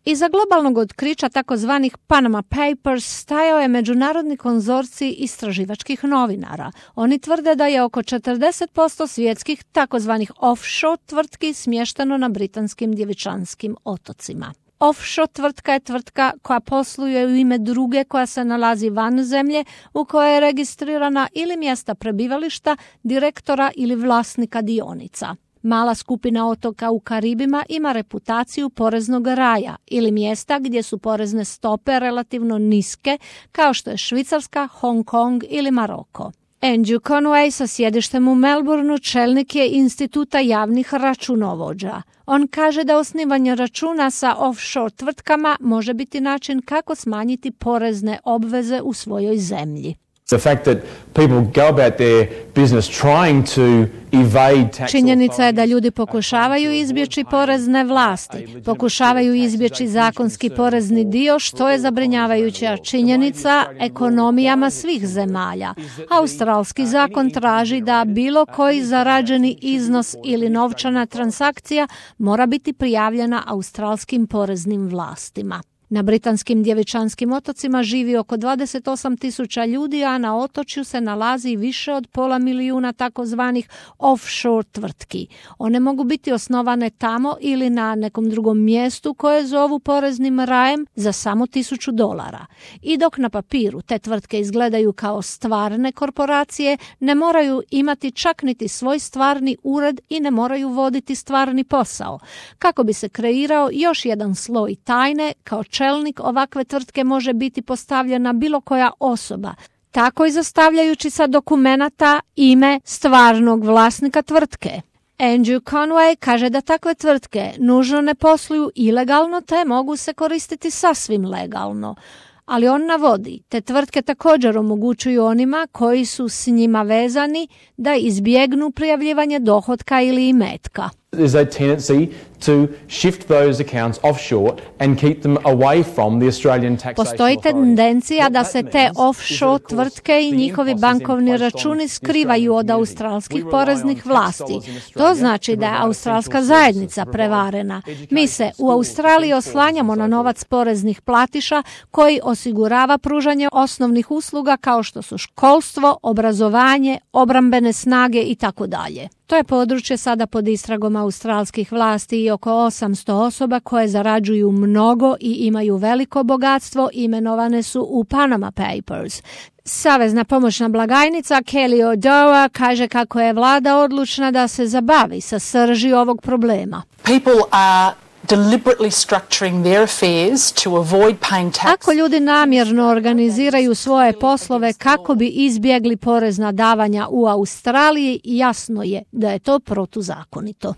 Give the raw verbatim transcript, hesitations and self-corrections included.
Iza globalnog otkrića takozvanih Panama Papers stajao je međunarodni konzorcij istraživačkih novinara. Oni tvrde da je oko četrdeset posto svjetskih takozvanih offshore tvrtki smješteno na britanskim Djevičanskim otocima. Offshore tvrtka je tvrtka koja posluje u ime druge koja se nalazi van zemlje u kojoj je registrirana ili mjesta prebivališta, direktora ili vlasnika dionica. Mala skupina otoka u Karibima ima reputaciju poreznog raja ili mjesta gdje su porezne stope relativno niske, kao što je Švicarska, Hong Kong ili Maroko. Andrew Conway sa sjedištem u Melbourneu čelnik je Instituta javnih računovođa. On kaže da osnivanje računa sa offshore tvrtkama može biti način kako smanjiti porezne obveze u svojoj zemlji. The fact that people go about their business trying to evade tax. Činjenica je da ljudi pokušavaju izbjeći porezne vlasti, pokušavaju izbjeći zakonski porezni dio, što je zabrinjavajuća činjenica ekonomijama svih zemalja. Australski zakon traži da bilo koji zarađeni iznos ili novčana transakcija mora biti prijavljena australskim poreznim vlastima. Na britanskim Djevičanskim otocima živi oko dvadeset osam tisuća ljudi, a na otočju se nalazi više od pola milijuna takozvanih offshore tvrtki. One mogu biti osnovane tamo ili na nekom drugom mjestu koje zovu poreznim rajem za samo tisuću dolara. I dok na papiru te tvrtke izgledaju kao stvarne korporacije, ne moraju imati čak niti svoj stvarni ured i ne moraju voditi stvarni posao. Kako bi se kreirao još jedan sloj tajne, kao čelnik ovakve tvrtke može biti postavljena bilo koja osoba, tako i zastavljajući sa dokumenata ime stvarnog vlasnika tvrtke. Andrew Conway kaže da takve tvrtke nužno ne posluju ilegalno te mogu se koristiti sasvim legalno. Ali on navodi, te tvrtke također omogućuju onima koji su s njima vezani da izbjegnu prijavljivanje dohotka ili imetka. There's a tendency to shift those accounts offshore and keep them away from the Australian taxation authority. Postoji tendencija da se te offshore tvrtke i njihovi bankovni računi skrivaju od australskih poreznih vlasti. To znači da je australska zajednica prevarena. Mi se u Australiji oslanjamo na novac poreznih platiša koji osigurava pružanje osnovnih usluga kao što su školstvo, obrazovanje, obrambene snage i tako dalje. To je područje sada pod istragom australskih vlasti i oko osamsto osoba koje zarađuju mnogo i imaju veliko bogatstvo imenovane su u Panama Papers. Savezna pomoćna blagajnica Kelly Odoa kaže kako je vlada odlučna da se zabavi sa srži ovog problema. People are deliberately structuring their affairs to avoid paying tax. Ako ljudi namjerno organiziraju svoje poslove kako bi izbjegli porezna davanja u Australiji, jasno je da je to protuzakonito.